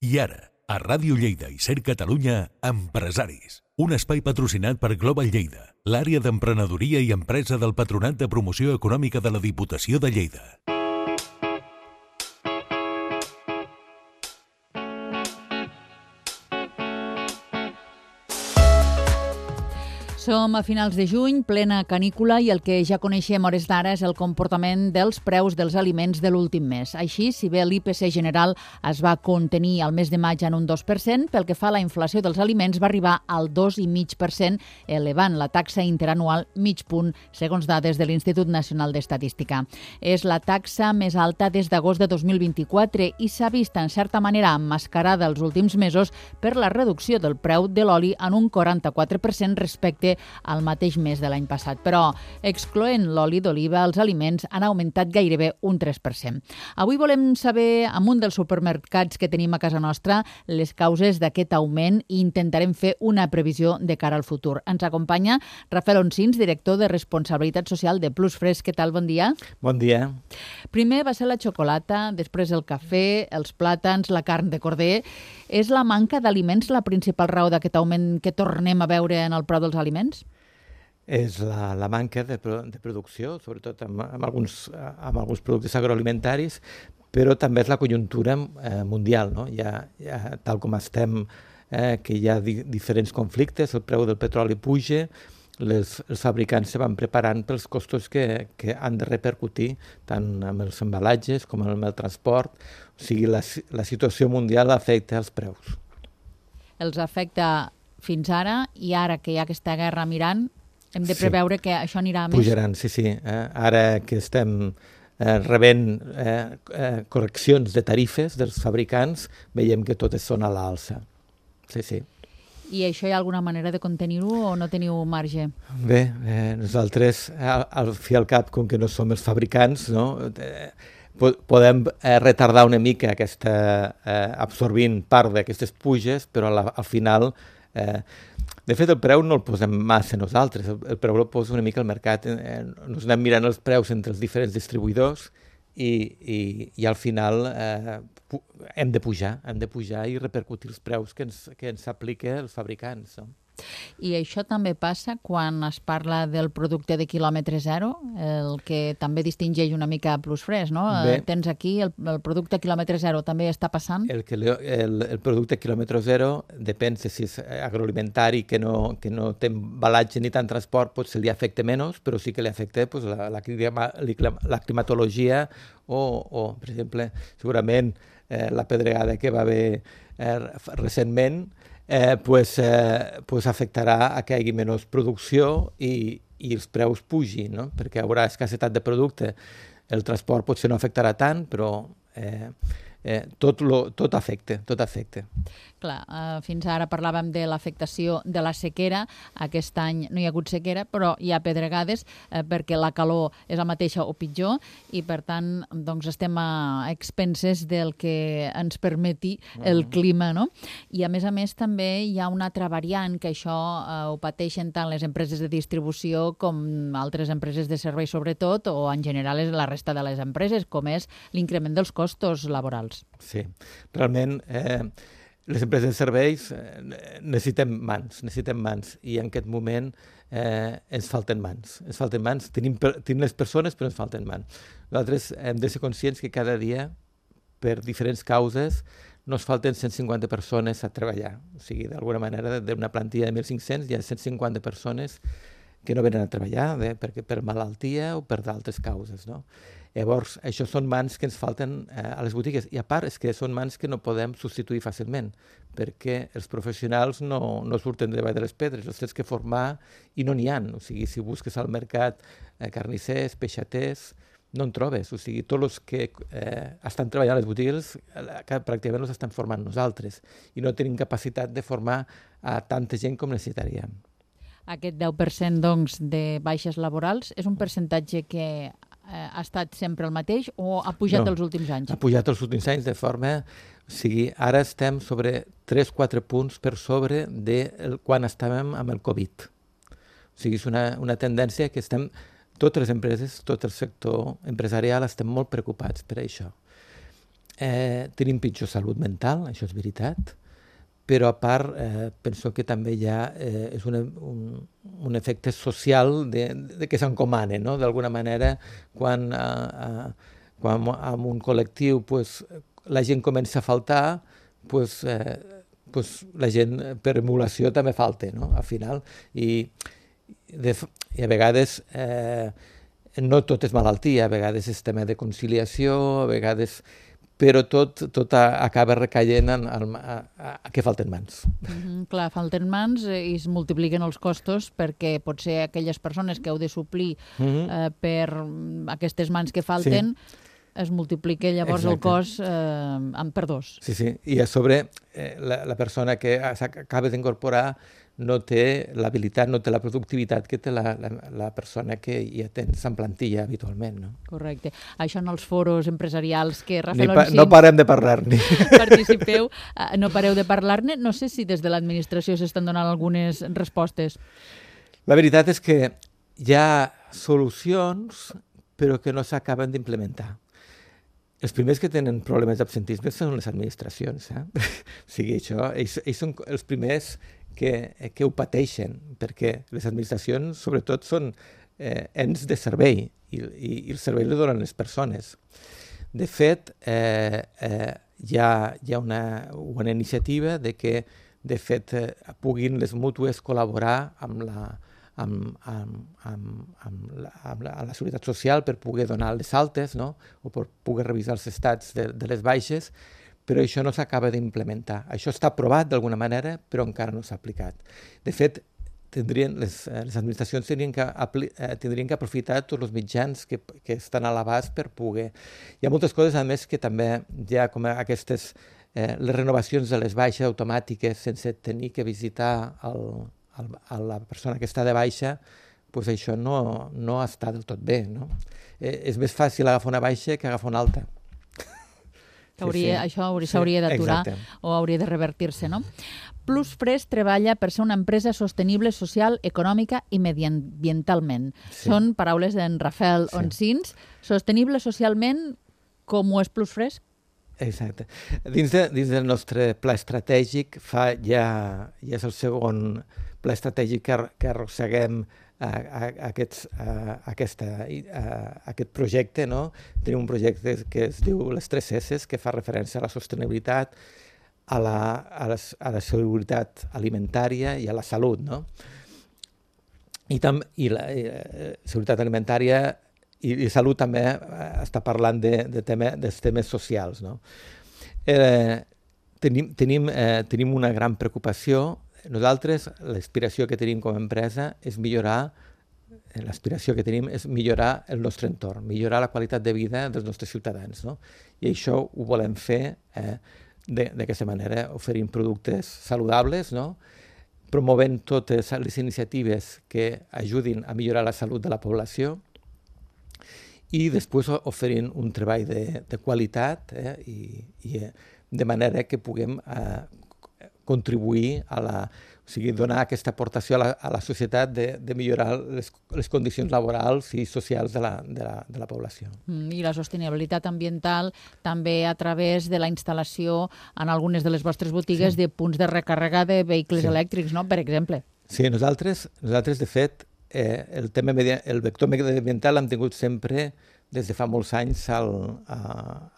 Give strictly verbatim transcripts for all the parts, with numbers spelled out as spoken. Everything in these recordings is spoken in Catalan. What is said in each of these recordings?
I ara, a Ràdio Lleida i Ser Catalunya, Empresaris. Un espai patrocinat per Global Lleida, l'àrea d'emprenedoria i empresa del Patronat de Promoció Econòmica de la Diputació de Lleida. Som a finals de juny, plena canícula, i el que ja coneixem a hores d'ara és el comportament dels preus dels aliments de l'últim mes. Així, si bé l'I P C general es va contenir al mes de maig en un dos per cent, pel que fa a la inflació dels aliments va arribar al dos coma cinc per cent, elevant la taxa interanual mig punt, segons dades de l'Institut Nacional d'Estadística. És la taxa més alta des d'agost de dos mil vint-i-quatre i s'ha vist, en certa manera, emmascarada els últims mesos per la reducció del preu de l'oli en un quaranta-quatre per cent respecte al mateix mes de l'any passat. Però, excloent l'oli d'oliva, els aliments han augmentat gairebé un tres per cent. Avui volem saber, amb un dels supermercats que tenim a casa nostra, les causes d'aquest augment i intentarem fer una previsió de cara al futur. Ens acompanya Rafael Onsins, director de Responsabilitat Social de Plus Fresc. Què tal? Bon dia. Bon dia. Primer va ser la xocolata, després el cafè, els plàtans, la carn de corder. És la manca d'aliments la principal raó d'aquest augment que tornem a veure en el preu dels aliments? És la, la manca de, de producció, sobretot amb, amb, alguns, amb alguns productes agroalimentaris, però també és la conjuntura eh, mundial, no? Ja, ja, tal com estem, eh, que hi ha di, diferents conflictes, el preu del petroli puja, les, els fabricants se van preparant pels costos que, que han de repercutir tant amb els embalatges com amb el transport. O sigui, la, la situació mundial afecta els preus. Els afecta fins ara, i ara que hi ha aquesta guerra mirant, hem de preveure sí. que això anirà més. Pujaran, sí, sí. Eh, ara que estem eh, rebent eh, eh, correccions de tarifes dels fabricants, veiem que totes són a l'alça. Sí, sí. I això hi ha alguna manera de contenir-ho o no teniu marge? Bé, eh, nosaltres, al, al fi al cap, com que no som els fabricants, no? Eh, podem eh, retardar una mica aquesta, eh, absorbint part d'aquestes puges, però la, al final... Eh, de fet, el preu no el posem massa nosaltres, el, el preu el posa una mica al mercat. Eh, nos anem mirant els preus entre els diferents distribuïdors i, i, i al final eh, hem de pujar, hem de pujar i repercutir els preus que ens, que ens aplica els fabricants, no? I això també passa quan es parla del producte de quilòmetre zero, el que també distingeix una mica Plus Fresc, no? Bé, tens aquí el, el producte quilòmetre zero, també està passant? El, el, el producte quilòmetre zero depèn si és agroalimentari, que no, que no té embalatge ni tant transport, potser li afecta menys, però sí que li afecta pues, la, la, la climatologia o, o, per exemple, segurament eh, la pedregada que va haver eh, recentment, Eh, pues, eh, pues afectarà a que hi hagi menys producció i, i els preus pugin, no? Perquè hi haurà escassetat de producte. El transport potser no afectarà tant, però eh, eh, tot, lo, tot afecta, tot afecta. Clar, eh, fins ara parlàvem de l'afectació de la sequera. Aquest any no hi ha hagut sequera, però hi ha pedregades eh, perquè la calor és la mateixa o pitjor i, per tant, doncs estem a expenses del que ens permeti el clima, no? I, a més a més, també hi ha una altra variant que això eh, ho pateixen tant les empreses de distribució com altres empreses de servei, sobretot, o en general és la resta de les empreses, com és l'increment dels costos laborals. Sí, realment... Eh... Les empreses de serveis eh, necessitem mans, necessitem mans, i en aquest moment eh, ens falten mans. Ens falten mans, tenim, per, tenim les persones, però ens falten mans. Nosaltres hem de ser conscients que cada dia, per diferents causes, nos falten cent cinquanta persones a treballar. O sigui, d'alguna manera, d'una plantilla de mil cinc-cents hi ha cent cinquanta persones que no venen a treballar bé, perquè per malaltia o per d'altres causes, no? Llavors, això són mans que ens falten eh, a les botigues. I a part, és que són mans que no podem substituir fàcilment, perquè els professionals no, no surten de davall de les pedres, els tens que formar i no n'hi ha. O sigui, si busques al mercat eh, carnissers, peixaters, no en trobes. O sigui, tots els que eh, estan treballant a les botigues eh, pràcticament els estan formant nosaltres i no tenim capacitat de formar a tanta gent com necessitaríem. Aquest deu per cent, doncs, de baixes laborals és un percentatge que eh, ha estat sempre el mateix o ha pujat no, els últims anys? Ha pujat els últims anys de forma... O sigui, ara estem sobre tres o quatre punts per sobre de el, quan estàvem amb el Covid. O sigui, és una, una tendència que estem... Totes les empreses, tot el sector empresarial estem molt preocupats per això. eh, tenim pitjor salut mental, això és veritat, però a part eh, penso que també hi ha eh, és una, un, un efecte social de, de que s'encomana, no? D'alguna manera, quan, eh, eh, quan en un col·lectiu pues, la gent comença a faltar, pues, eh, pues, la gent per emulació també falta, no? Al final. I, de, i a vegades eh, no tot és malaltia, a vegades és tema de conciliació, a vegades... però tot, tot acaba recaient en, en, a, a, a que falten mans. Mm-hmm, clar, falten mans i es multipliquen els costos perquè potser aquelles persones que heu de suplir mm-hmm. eh, per aquestes mans que falten sí. es multiplica llavors Exacte. El cost eh, en per dos. Sí, sí, i a sobre eh, la, la persona que s'acaba d'incorporar no té l'habilitat, no té la productivitat que té la, la, la persona que ja tens en plantilla habitualment, no? Correcte. Això en els foros empresarials que Rafael pa, Oncins... No parem de parlar-ne. Participeu, no pareu de parlar-ne. No sé si des de l'administració s'estan donant algunes respostes. La veritat és que hi ha solucions, però que no s'acaben d'implementar. Els primers que tenen problemes d'absentisme són les administracions. Eh? O sigui, això, ells, ells són els primers que, que ho pateixen, perquè les administracions, sobretot, són eh, ens de servei, i, i, i el servei el donen les persones. De fet, eh, eh, hi ha, hi ha una, una iniciativa de que, de fet, eh, puguin les mútues col·laborar amb la, amb, amb, amb, amb, la, amb, la, amb la Seguretat Social per poder donar les altes, no? O per poder revisar els estats de, de les baixes, però això no s'acaba d'implementar. Això està aprovat d'alguna manera, però encara no s'ha aplicat. De fet, tindrien, les, les administracions tindrien que, apli, eh, tindrien que aprofitar tots els mitjans que, que estan a l'abast per poder... Hi ha moltes coses, a més, que també hi ha com aquestes... Eh, les renovacions de les baixes automàtiques sense tenir que visitar el, el, a la persona que està de baixa, pues això no, no està del tot bé, no? Eh, és més fàcil agafar una baixa que agafar una alta. Hauria, sí, sí. Això s'hauria sí, d'aturar o hauria de revertir-se, no? Plusfresh treballa per ser una empresa sostenible social, econòmica i mediambientalment. Sí. Són paraules d'en Rafael sí. Oncins. Sostenible socialment, com ho és Plusfresh? Exacte. Dins, de, dins del nostre pla estratègic, fa ja, ja és el segon pla estratègic que, que arrosseguem A, a, a, aquests, a, aquesta, a, a aquest projecte, no? Tenim un projecte que es diu les tres esses, que fa referència a la sostenibilitat, a la, a la, a la seguretat alimentària i a la salut, no? I, tam, i la i, eh, seguretat alimentària i, i salut també eh, està parlant de, de tema, dels temes socials, no? Eh, tenim, tenim, eh, tenim una gran preocupació. Nosaltres, l'aspiració que tenim com a empresa és millorar, l'aspiració que tenim és millorar el nostre entorn, millorar la qualitat de vida dels nostres ciutadans, no? I això ho volem fer eh, d'aquesta manera, oferint productes saludables, no? Promovent totes les iniciatives que ajudin a millorar la salut de la població i després oferint un treball de, de qualitat eh, i, i de manera que puguem eh, contribuir a la, o sigui, donar aquesta aportació a la, a la societat de, de millorar les, les condicions laborals i socials de la, de la, de la població. Mm, I la sostenibilitat ambiental també a través de la instal·lació en algunes de les vostres botigues sí. de punts de recàrrega de vehicles sí. elèctrics, no? Per exemple. Sí, nosaltres, nosaltres de fet, eh, el tema media, el vector mediambiental l'hem tingut sempre des de fa molts anys al, a,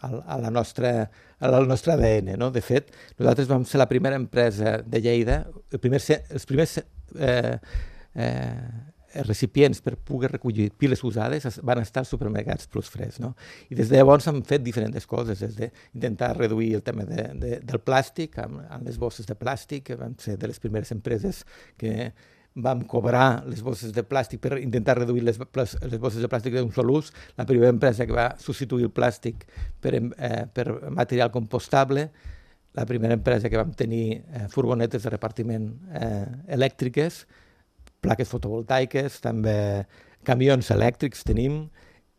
a, a la nostra, al nostre A D N. No? De fet, nosaltres vam ser la primera empresa de Lleida, el primer, els primers eh, eh, recipients per poder recollir piles usades van estar als supermercats Plusfresh. No? I des de llavors hem fet diferents coses, des d'intentar reduir el tema de, de, del plàstic, amb, amb les bosses de plàstic, que vam ser de les primeres empreses que vam cobrar les bosses de plàstic per intentar reduir les, les bosses de plàstic d'un sol ús, la primera empresa que va substituir el plàstic per, eh, per material compostable, la primera empresa que vam tenir eh, furgonetes de repartiment eh, elèctriques, plaques fotovoltaiques, també camions elèctrics tenim,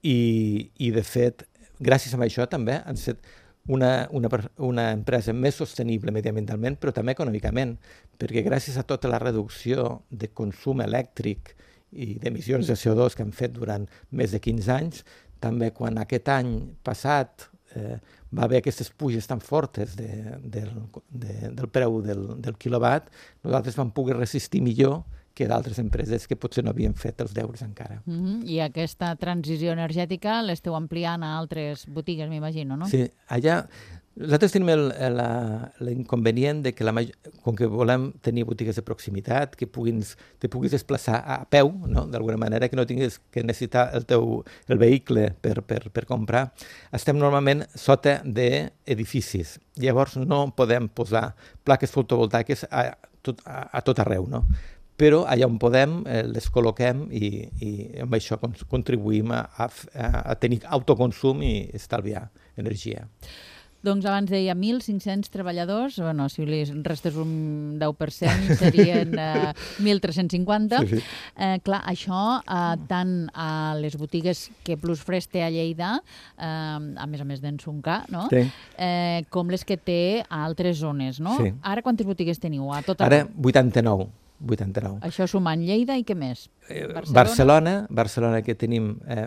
i, i de fet, gràcies a això també han set Una, una, una empresa més sostenible mediambientalment, però també econòmicament, perquè gràcies a tota la reducció de consum elèctric i d'emissions de C O dos que han fet durant més de quinze anys, també quan aquest any passat eh, va haver aquestes puges tan fortes de, del, de, del preu del, del quilowatt, nosaltres vam poder resistir millor que d'altres empreses que potser no havien fet els deures encara. Mm-hmm. I aquesta transició energètica l'esteu ampliant a altres botigues, m'imagino, no? Sí, allà nosaltres tenim el- la- l'inconvenient de que la maj- com que volem tenir botigues de proximitat, que puguis, te puguis desplaçar a peu, no? D'alguna manera, que no tinguis que necessitar el teu el vehicle per, per, per comprar, estem normalment sota d'edificis. Llavors no podem posar plaques fotovoltaiques a tot, a, a tot arreu, no? Però allà on podem eh, les col·loquem i, i amb això con- contribuïm a, a, f- a a tenir autoconsum i estalviar energia. Doncs abans deia mil cinc-cents treballadors, bueno, si li restes un deu per cent serien eh, mil tres-cents cinquanta. Sí, sí. Eh, clar, això eh, tant a les botigues que Plus Fresh té a Lleida, eh, a més a més d'en Suncar, no? Sí. eh, com les que té a altres zones, no? Sí. Ara quantes botigues teniu? A tot Ara arreu? vuitanta-nou. vuitanta-nou. Això sumant Lleida i què més? Eh, Barcelona? Barcelona, Barcelona que tenim, eh,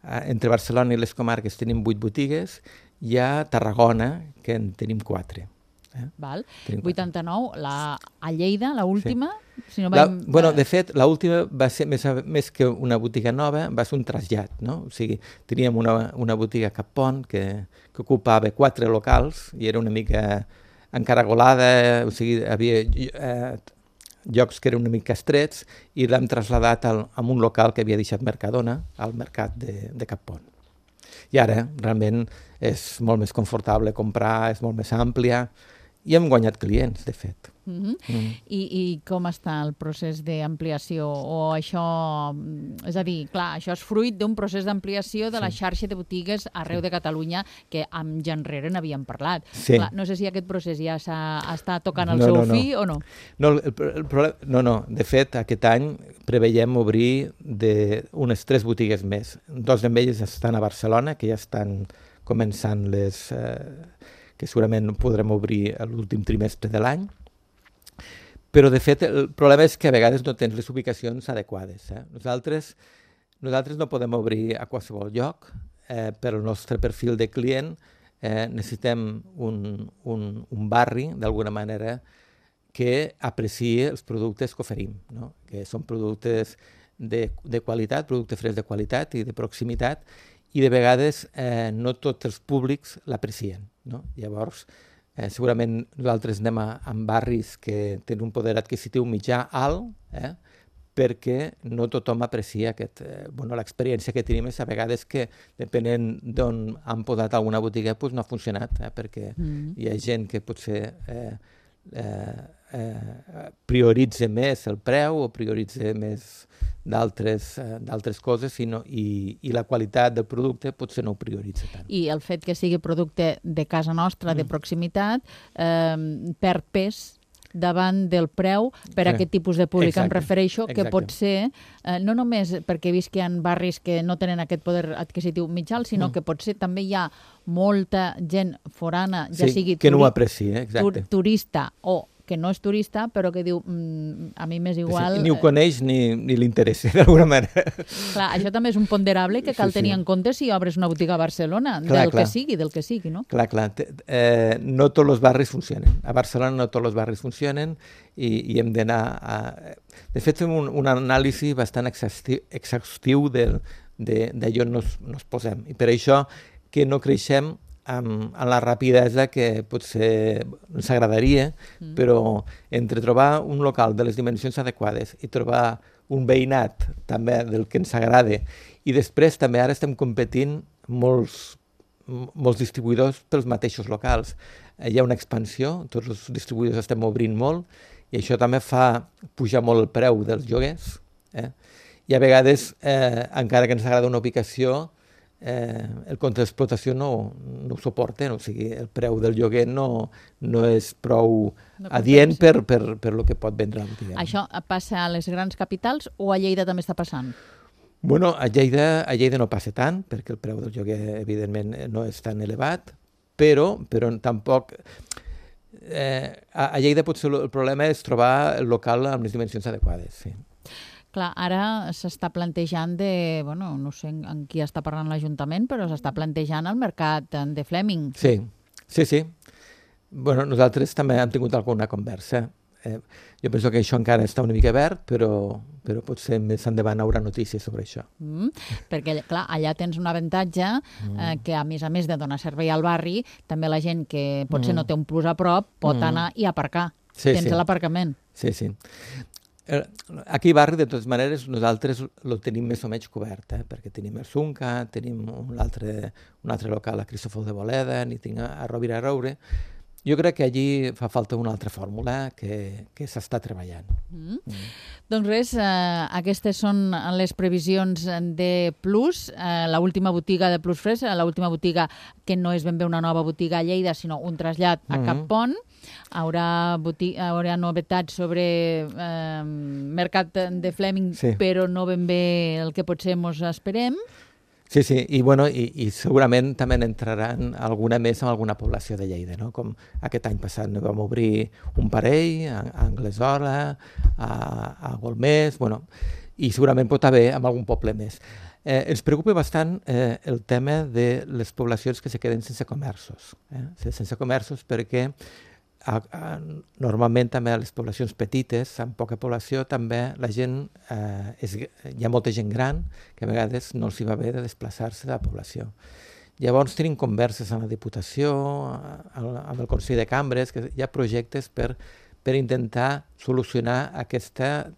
eh, entre Barcelona i les comarques tenim vuit botigues, hi ha Tarragona, que en tenim quatre. Eh? Val. Tenim quatre. vuitanta-nou, la, a Lleida, la última, si no La, vam... bueno, de fet, l'última va ser més, a- més que una botiga nova, va ser un trasllat, no? O sigui, teníem una, una botiga a Capont que, que ocupava quatre locals i era una mica encaragolada, o sigui, havia eh, llocs que eren una mica estrets i l'hem traslladat al, a un local que havia deixat Mercadona, al mercat de, de Capont. I ara, realment, és molt més confortable comprar, és molt més àmplia i hem guanyat clients, de fet. Mhm. Mm. I, I com està el procés d'ampliació? O això, mm, és a dir, clar, això és fruit d'un procés d'ampliació de la xarxa de botigues arreu de Catalunya que amb ja enrere n'havíem parlat. Sí. Clar, no sé si aquest procés ja s'ha està tocant el No, seu no, no. fi o no. No, el, el problema, no, no, de fet, aquest any preveiem obrir de unes tres botigues més. Dos d'elles estan a Barcelona, que ja estan començant les... Eh, que segurament podrem obrir a l'últim trimestre de l'any. Però, de fet, el problema és que a vegades no tens les ubicacions adequades. Eh? Nosaltres, nosaltres no podem obrir a qualsevol lloc. Eh, per al nostre perfil de client eh, necessitem un, un, un barri, d'alguna manera, que apreciï els productes que oferim, no? Que són productes de, de qualitat, producte fresc de qualitat i de proximitat, i de vegades eh, no tots els públics l'aprecien, no? Llavors, eh, segurament nosaltres anem a, a barris que tenen un poder adquisitiu mitjà alt, eh? perquè no tothom aprecia aquest, eh, bueno, l'experiència que tenim és a vegades que, depenent d'on han posat alguna botiga, doncs no ha funcionat, eh? perquè Mm. hi ha gent que potser eh, eh, eh, prioritza més el preu o prioritza més d'altres eh, d'altres coses i, no, i, i la qualitat del producte potser no ho prioritza tant. I el fet que sigui producte de casa nostra, de proximitat, eh, perd pes davant del preu per a Sí. aquest tipus de públic. Em Exacte, refereixo que exacte. pot ser, eh, no només perquè he vist que hi ha barris que no tenen aquest poder adquisitiu mitjà, sinó Mm. que potser també hi ha molta gent forana, ja Sí, sigui que no ho turi- aprecia, exacte. tur- turista o que no és turista, però que diu, mm, a mi m'és igual... Sí, ni ho eh, coneix ni, ni li interessa, d'alguna manera. Clar, això també és un ponderable que cal Sí, sí. tenir en compte si obres una botiga a Barcelona, Clar, del clar. que sigui, del que sigui, no? Clar, clar. te- Eh, no tots els barris funcionen. A Barcelona no tots els barris funcionen i, i hem d'anar a... De fet, fem un, un anàlisi bastant exhaustiu, exhaustiu del- de- d'allò on nos, nos posem. I per això que no creixem amb, amb la rapidesa que potser ens agradaria, mm. però entre trobar un local de les dimensions adequades i trobar un veïnat també del que ens agrada i després també ara estem competint molts molts distribuïdors pels mateixos locals. Eh, Hi ha una expansió, tots els distribuïdors estem obrint molt i això també fa pujar molt el preu dels lloguers. Eh? I a vegades, eh, encara que ens agrada una ubicació, eh, el compte d'explotació no, no ho suporta, no? O sigui, el preu del lloguer no, no és prou No adient compensa. per, per, per lo que pot vendre la botiga. Això passa a les grans capitals o a Lleida també està passant? Bueno, a Lleida, a Lleida no passa tant, perquè el preu del lloguer, evidentment, no és tan elevat, però, però tampoc... Eh, a, a Lleida potser el problema és trobar el local amb les dimensions adequades, sí. Clar, ara s'està plantejant de, bueno, no sé en qui està parlant l'Ajuntament, però s'està plantejant el mercat de Fleming. Sí, sí, sí. Bueno, nosaltres també hem tingut alguna conversa. Eh, jo penso que això encara està una mica verd, però, però potser més endavant haurà notícies sobre això. Mm, perquè, clar, allà tens un avantatge mm. eh, que, a més a més de donar servei al barri, també la gent que potser mm. no té un plus a prop pot mm. anar i aparcar. Sí, tens sí. l'aparcament. Sí, sí. Aquí a barri, de totes maneres, nosaltres el tenim més o menys cobert, eh? Perquè tenim el Sunca, tenim un altre, un altre local a Cristòfol de Boleda, ni tinc a Rovira a Roure. Jo crec que allí fa falta una altra fórmula que, que s'està treballant. Mm. Mm. Doncs res, eh, aquestes són les previsions de Plus, eh, l'última botiga de Plus Fresh, l'última botiga que no és ben bé una nova botiga a Lleida, sinó un trasllat a mm-hmm. Cap Pont. Haurà, boti- haurà novetats sobre eh, mercat de Fleming, sí. però no ben bé el que potser ens esperem. Sí, sí, i, bueno, i, i segurament també n'entraran alguna més en alguna població de Lleida, no? Com aquest any passat ne vam obrir un parell a, a Anglesola, a, a Golmés, bueno, i segurament pot haver en algun poble més. Eh, ens preocupa bastant eh, el tema de les poblacions que se queden sense comerços, eh? sense comerços perquè A, a, normalment també a les poblacions petites, amb poca població, també la gent, eh, és, hi ha molta gent gran que a vegades no els hi va bé de desplaçar-se de la població. Llavors tenim converses amb la Diputació, amb el Consell de Cambres, que hi ha projectes per, per intentar solucionar aquesta,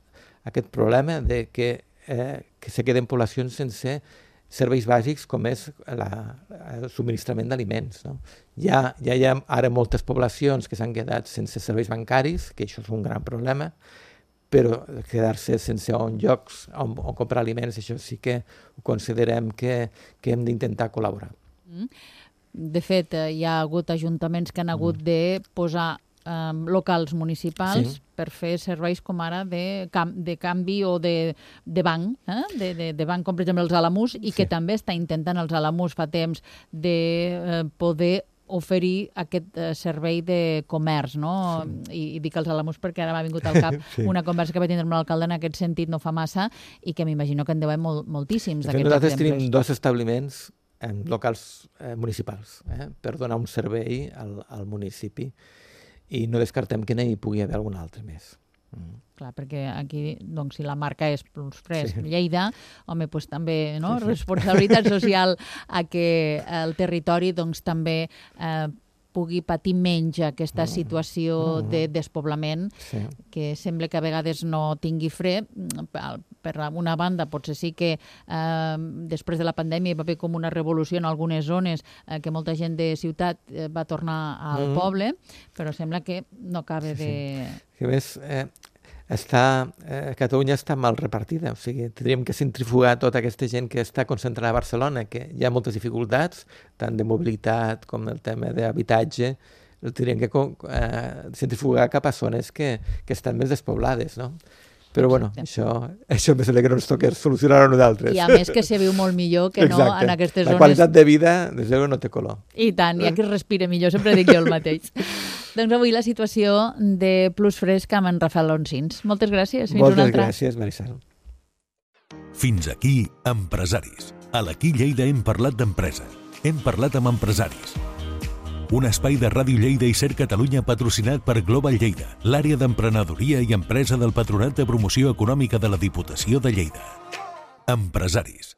aquest problema de que, eh, que se queden poblacions sense serveis bàsics com és la, el subministrament d'aliments. No? Ja, ja hi ha ara moltes poblacions que s'han quedat sense serveis bancaris, que això és un gran problema, però quedar-se sense on llocs on, on comprar aliments, això sí que ho considerem que, que hem d'intentar col·laborar. Mm. De fet, hi ha hagut ajuntaments que han hagut mm. de posar Um, locals municipals sí. per fer serveis com ara de, cam de canvi o de, de banc, eh? de, de, de banc com per exemple els Alamús, i sí. que també està intentant els Alamús fa temps de eh, poder oferir aquest eh, servei de comerç, no? Sí. I, I dic els Alamús perquè ara m'ha vingut al cap sí. una conversa que vaig tindre amb l'alcalde en aquest sentit no fa massa i que m'imagino que en deu haver molt, moltíssims d'aquests nosaltres exemples. Tenim dos establiments en locals eh, municipals eh, per donar un servei al, al municipi i no descartem que n'hi pugui haver algun altre més. Mm. Clar, perquè aquí, doncs, si la marca és Plus Fresh sí. Lleida, home, doncs també, no?, sí, sí. responsabilitat social a que el territori, doncs, també eh, pugui patir menys aquesta situació mm. de despoblament, sí. que sembla que a vegades no tingui fre. Per una banda, potser sí que eh, després de la pandèmia hi va haver com una revolució en algunes zones eh, que molta gent de ciutat eh, va tornar al mm. poble, però sembla que no acaba sí, de... Sí. A més, eh, està, eh, Catalunya està mal repartida, o sigui, tindríem que centrifugar tota aquesta gent que està concentrada a Barcelona, que hi ha moltes dificultats, tant de mobilitat com el tema d'habitatge, el tindríem que eh, centrifugar cap a zones que, que estan més despoblades, no? Però bueno, això, això més que no ens toca solucionar a nosaltres. I a més que se viu molt millor que no Exacte. En aquestes la zones. La qualitat de vida, des de no té color. I tant, hi ha qui es respira millor, sempre dic jo el mateix. Doncs avui la situació de Plus Fresh amb en Rafael Oncins. Moltes gràcies. Fins Moltes una altra. gràcies, Marisol. Fins aquí, Empresaris. A l'Aquí Lleida hem parlat d'empresa. Hem parlat amb empresaris. Un espai de Ràdio Lleida i Ser Catalunya patrocinat per Global Lleida, l'àrea d'emprenedoria i empresa del Patronat de Promoció Econòmica de la Diputació de Lleida. Empresaris.